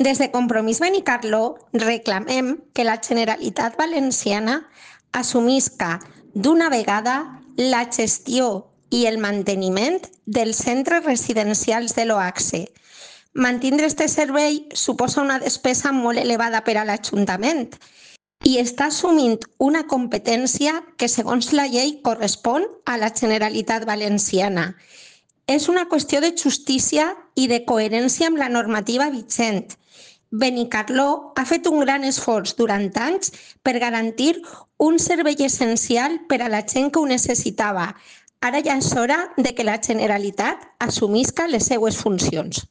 Des de Compromís Benicarló reclamem que la Generalitat Valenciana assumisca d'una vegada la gestió i el manteniment dels centres residencials de l'OACSE. Mantindre este servei suposa una despesa molt elevada per a l'Ajuntament i està assumint una competència que, segons la llei, correspon a la Generalitat Valenciana. És una qüestió de justícia i de coherència amb la normativa vigent. Benicarló ha fet un gran esforç durant anys per garantir un servei essencial per a la gent que ho necessitava. Ara ja és hora de que la Generalitat assumisca les seues funcions.